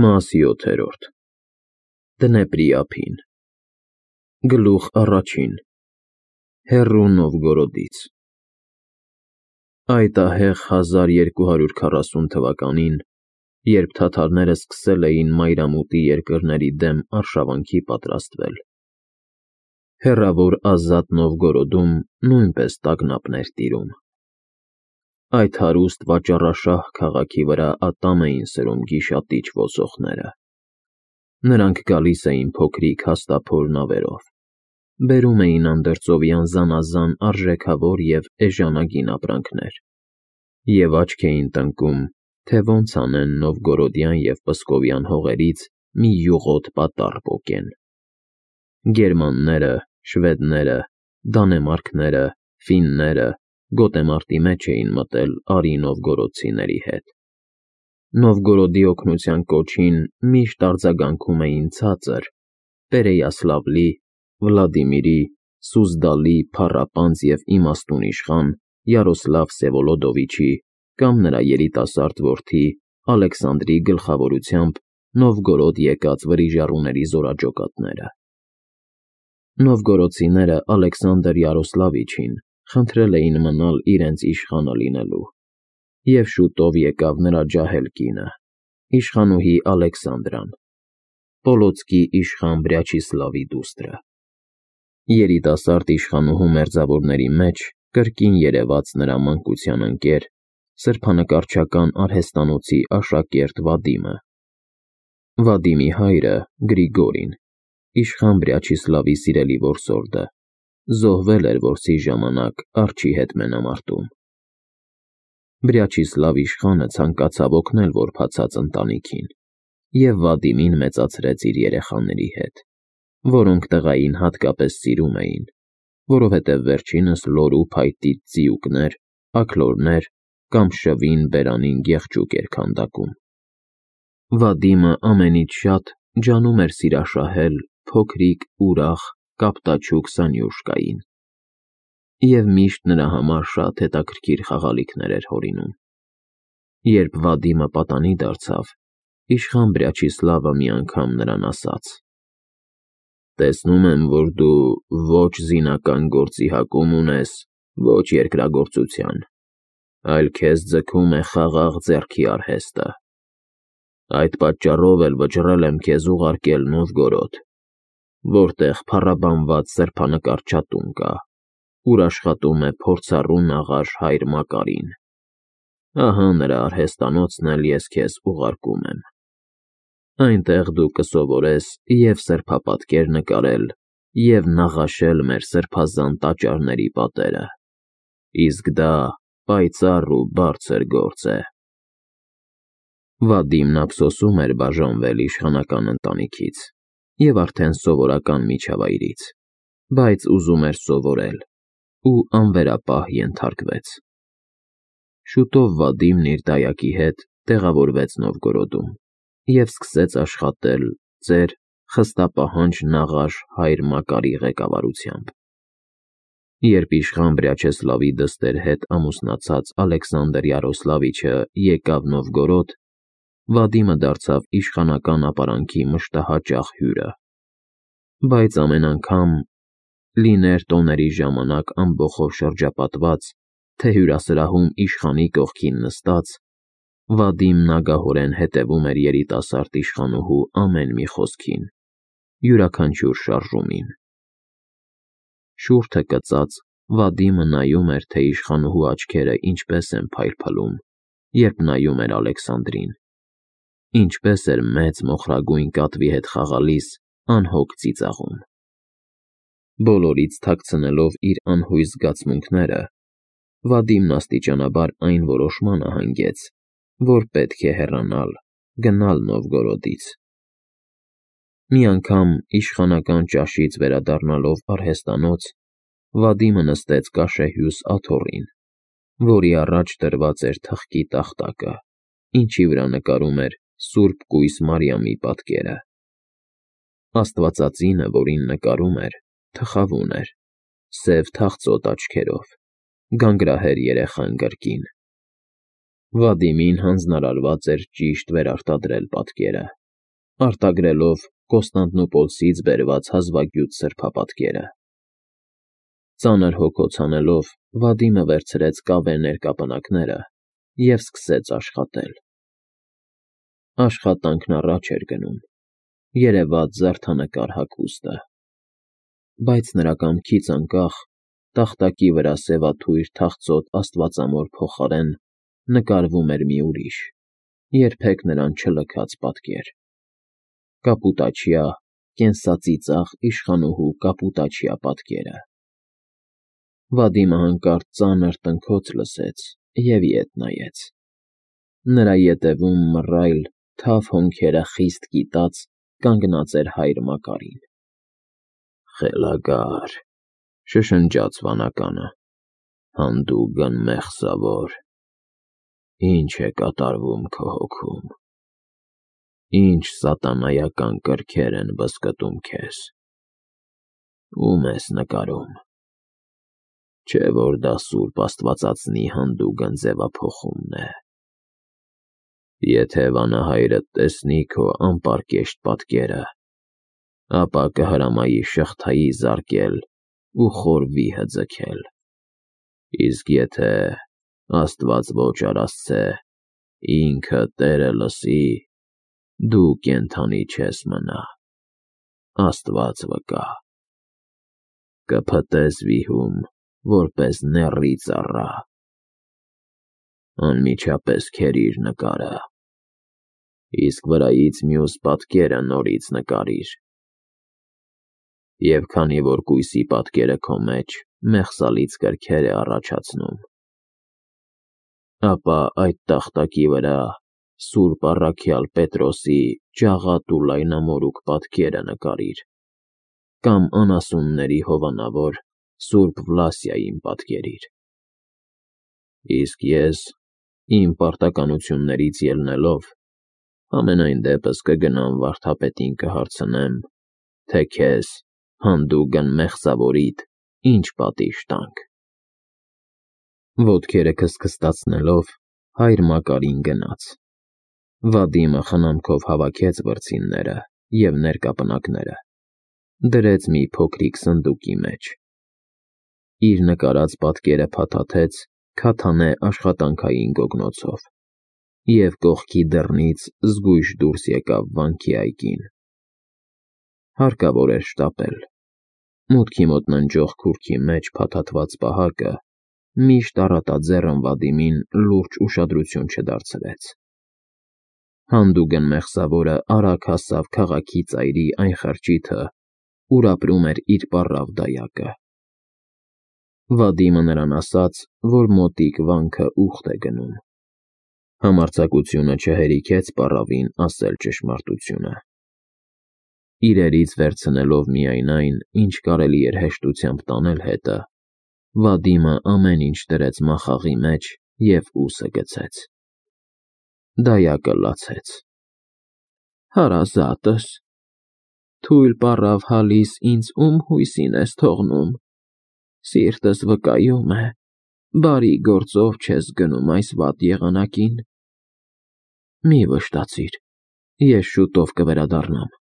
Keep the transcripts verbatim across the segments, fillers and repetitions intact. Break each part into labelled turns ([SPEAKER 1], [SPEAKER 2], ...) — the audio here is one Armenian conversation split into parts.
[SPEAKER 1] Մաս յոթերորդ Դնեպրի ափին Գլուխ առաջին Հեռու Նովգորոդից Այդ ահեղ հազար երկու հարյուր քառասուն թվականին, երբ թաթարները սկսել էին մայրամուտի երկրների դեմ արշավանքի պատրաստվել, հեռավոր ազատ Նովգորոդում նույնպես տագնապներ տիրում։ Այդ հարուստ վաճառաշահ քաղաքի վրա ատամ էին սրում գիշատիչ ոսողները։ Նրանք գալիս էին փոքրիկ հաստափոր նավերով, բերում էին անդրծովյան զանազան արժեքավոր և էժանագին ապրանքներ և աչք էին տնկում, թե ոնց անեն նովգորոդյան և պսկովյան հողերից մի յուղոտ պատառ պոկեն։ Գերմանները, շվեդները, դանեմարքները, ֆինները գոտեմարտի մեջ էին մտել արի նովգորոդցիների հետ։ Նովգորոդի օգնության կոչին միշտ արձագանքում էին ցածր, Պերեյասլավլի, Վլադիմիրի, Սուզդալի փառապանծ և իմաստուն իշխան Յարոսլավ Վսևոլոդովիչի կամ նրա երիտասարդ որդի Ալեքսանդրի գլխավորությամբ Նովգորոդ եկած վրիժառուների զորաճոկատները։ Նովգորոդցիները Ալեքսանդր Յարոսլավիչին խնդրել էին մնալ իրենց իշխանը լինելու, և շուտով եկավ նրա ջահել կինը, իշխանուհի Ալեքսանդրան, Պոլոցկի իշխան Վրաչիսլավի դուստրը։ Երիտասարդ իշխանուհու մերձավորների մեջ կրկին երևաց նրա մանկության ընկեր, սրբանկարչական արհեստանոցի աշակերտ Վադիմը։ Վադիմի հայրը՝ Գրիգորին, իշխան Վրաչիսլավի սիրելի որսորդը, զոհվել էր որսի ժամանակ արջի հետ մենամարտում։ Վրաչիսլավ իշխանը ցանկացավ օգնել որբացած ընտանիքին և Վադիմին մեծացրեց իր երեխաների հետ, որոնք տղային հատկապես սիրում էին, որովհետև վերջինս լորու փայտից ձիուկներ, աքլորներ կամ շվին բերանին գեղջուկ էր քանդակում։ Վադիմը ամենից շատ ջանում էր սիրաշահել փոքրիկ, ուրախ, կապտաչուկ Սանյուշկային և միշտ նրա համար շատ հետաքրքիր խաղալիքներ էր հորինում։ Երբ Վադիմը պատանի դարձավ, իշխան Վրաչիսլավը մի անգամ նրան ասաց. «Տեսնում եմ, որ դու ոչ զինական գործի հակում ունես, ոչ երկրագործության, այլ քեզ ձգում է խաղաղ ձեռքի արհեստը։ Այդ պատճառով էլ վճռել եմ քեզ ուղարկել Նովգորոդ, որտեղ փառաբանված սրբանկարչատուն կա, ուր աշխատում է փորձառու նաղաշ հայր Մակարին։ Ահա նրա արհեստանոցն էլ ես քեզ ուղարկում եմ։ Այնտեղ դու կսովորես և սրբապատկեր նկարել, և նաղաշել մեր սրբազան տաճարների պատերը, իսկ դա պայծառ ու բարձր գործ է»։ Վադիմն ափսոսում էր բաժանվել իշխանական ընտանիքից և արդեն սովորական միջավայրից, բայց ուզում էր սովորել ու անվերապահ ենթարկվեց։ Շուտով Վադիմն իր դայակի հետ տեղավորվեց Նովգորոդում և սկսեց աշխատել ծեր խստապահանջ նաղաշ հայր Մակարի ղեկավարությամբ։ Երբ իշխան Վրաչեսլավի դստեր հետ ամուսնացած Ալեքսանդր Յարոսլավիչը եկավ Նովգորոդ, Վադիմը դարձավ իշխանական ապարանքի մշտահաճախ հյուրը, բայց ամեն անգամ, լիներ տոների ժամանակ ամբոխով շրջապատված, թե հյուրասրահում իշխանի կողքին նստած, Վադիմն ագահորեն հետևում էր երիտասարդ իշխանուհու ամեն մի խոսքին, յուրաքանչյուր շարժումին։ Շուրթը կծած, Վադիմը նայում էր, թե իշխանուհու աչքերը ինչպես են փայլփլում, երբ նայում էր Ալեքսանդրին, ինչպես էր մեծ մոխրագույն կատվի հետ խաղալիս անհոգ ծիծաղում։ Բոլորից թաքցնելով իր անհույս զգացմունքները, Վադիմն աստիճանաբար այն որոշմանը հանգեց, որ պետք է հեռանալ, գնալ Նովգորոդից։ Մի անգամ իշխանական ճաշից վերադառնալով արհեստանոց, Վադիմը նստեց կաշեհյուս աթոռին, որի առաջ դրված էր թղթի տախտակը, ինչի վրա նկարում էր Սուրբ Կույս Մարիամի պատկերը։ Աստվածածինը, որին նկարում էր, թխավուն էր, սև թախծոտ աչքերով, գանգրահեր երեխան կրկին։ Վադիմին հանձնարարված էր ճիշտ վերարտադրել պատկերը։ արտագրելով Կոստանդնուպոլսից բերված հազվագյուտ սրբապատկերը։ Ծանր հոգոց անելով Վադիմը վերցրեց կավե ներկապնակները և սկսեց աշխատել։ Աշխատանքն առաջ էր գնում, երևաց զարդանկար հագուստը, բայց նրա կամքից անկախ տախտակի վրա սևաթույր թախծոտ աստվածամոր փոխարեն նկարվում էր մի ուրիշ, երբեք նրան չլքած պատկեր. կապուտաչյա, կենսածիծաղ իշխանուհու կապուտաչյա պատկերը։ Վադիմը հանկարծ ծանր տնքոց լսեց և ետ նայեց։ Նրա ետևում մռայլ, թավ հոնքերը խիստ կիտած կանգնած էր հայր Մակարին։ «Խելագար,֊ շշնջաց վանականը,֊ հանդուգն մեղսավոր, ի՞նչ է կատարվում քո հոգում, ի՞նչ սատանայական կրքեր են բզկտում քեզ, ո՞ւմ ես նկարում, չէ՞ որ դա սուրբ աստվածածնի հանդուգն ձևափոխումն է։ Եթե վանահայրդ տեսնի քո անպարկեշտ պատկերը, ապա կհրամայի շղթայի զարկել ու խորվի հձքել, իսկ եթե, աստված ոչ արասցե, ինքը Տերը լսի, դու կենդանի չես մնա, աստված վկա, կփտես վիհում, որպես նեռի ծառա։ Անմիջապես քերիր նկարը, իսկ վրայից մյուս պատկերը նորից նկարիր, և քանի որ կույսի պատկերը քո մեջ մեղսալից կրքեր է առաջացնում, ապա այդ տախտակի վրա սուրբ առաքյալ Պետրոսի ջաղատ ու լայնամորուք պատկերը նկարիր կամ անասունների հովանավոր սուրբ Վլասիային պատկերիր։ Իսկ ես, իմ պարտականություններից ելնելով, համենայն դեպս կգնամ վարդապետին կհարցնեմ, թե քեզ, հանդուգն մեղսավորիդ, ինչ պատիժ տանք։ Ոտքերը քստքստացնելով հայր Մակարին գնաց։ Վադիմը խնամքով հավաքեց վրձինները և ներկապնակները, դրեց մի փոքրիկ սնդուկի մեջ, իր նկարած պատկերը փաթաթեց քաթանե աշխատանքային գոգնոցով և կողքի դռնից զգույշ դուրս եկավ վանքի այգին։ Հարկավոր էր շտապել։ Մուտքի մոտ ննջող քուրքի մեջ փաթաթված պահակը միշտ առատաձեռն Վադիմին լուրջ ուշադրություն չդարձրեց։ Հանդուգն մեղսավորը արագ հասավ քաղաքի ծայրի այն խրճիթը, ուր ապրում էր իր պառավ դայակը։ Վադիմը նրան ասաց, որ մոտիկ վանքը ուխտ է գնում։ Համարձակությունը չհերիքեց պառավին ասել ճշմարտությունը։ Իրերից վերցնելով միայն այն, ինչ կարելի էր հեշտությամբ տանել հետը, Վադիմը ամեն ինչ դրեց մախաղի մեջ և ուսը գցեց։ Դայակը լացեց։ Հարազատս, թույլ պառավ հալիս ինձ ում հույսին ես թողնում, սիրտս վկայում է, բարի գործով չես գնում այս վատ եղանակին։ Մի վշտացիր, ես շուտով կվերադառնամ,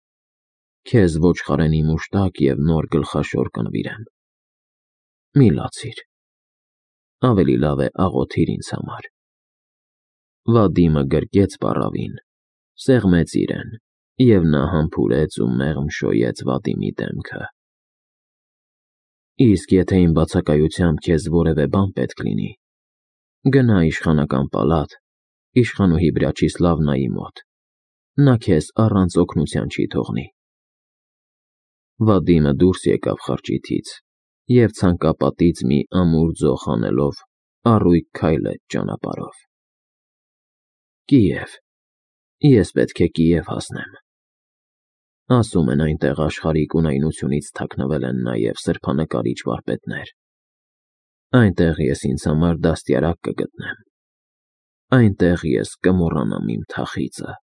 [SPEAKER 1] քեզ ոչխարենի մուշտակ և նոր գլխաշոր կնվիրեմ։ Մի լացիր, ավելի լավ է աղոթիր ինձ համար։ Վադիմը գրկեց պառավին, սեղմեց իրեն, և նա համբուրեց ու մեղմ շոյեց Վադիմի դեմքը։ Իսկ եթե իմ բացակայությամբ քեզ որևէ բան պետք լինի, գնա իշխանական պալատ, իշխանուհի Վրաչիսլավնայի մոտ, նա քեզ առանց օգնության չի թողնի։ Վադիմը դուրս եկավ խրճիթից և ցանկապատից մի ամուր ձող հանելով առույգ քայլեց ճանապարհով։ Կիև, ես պետք է Կիև հասնեմ։ Ասում են այնտեղ աշխարհիկ ունայնությունից թաքնվել են նաև սրբանկարիչ վարպետներ։ Այնտեղ ես ինձ համար դաստիարակ կգտնեմ։ Այնտեղ ես կմոռանամ իմ թախիծը։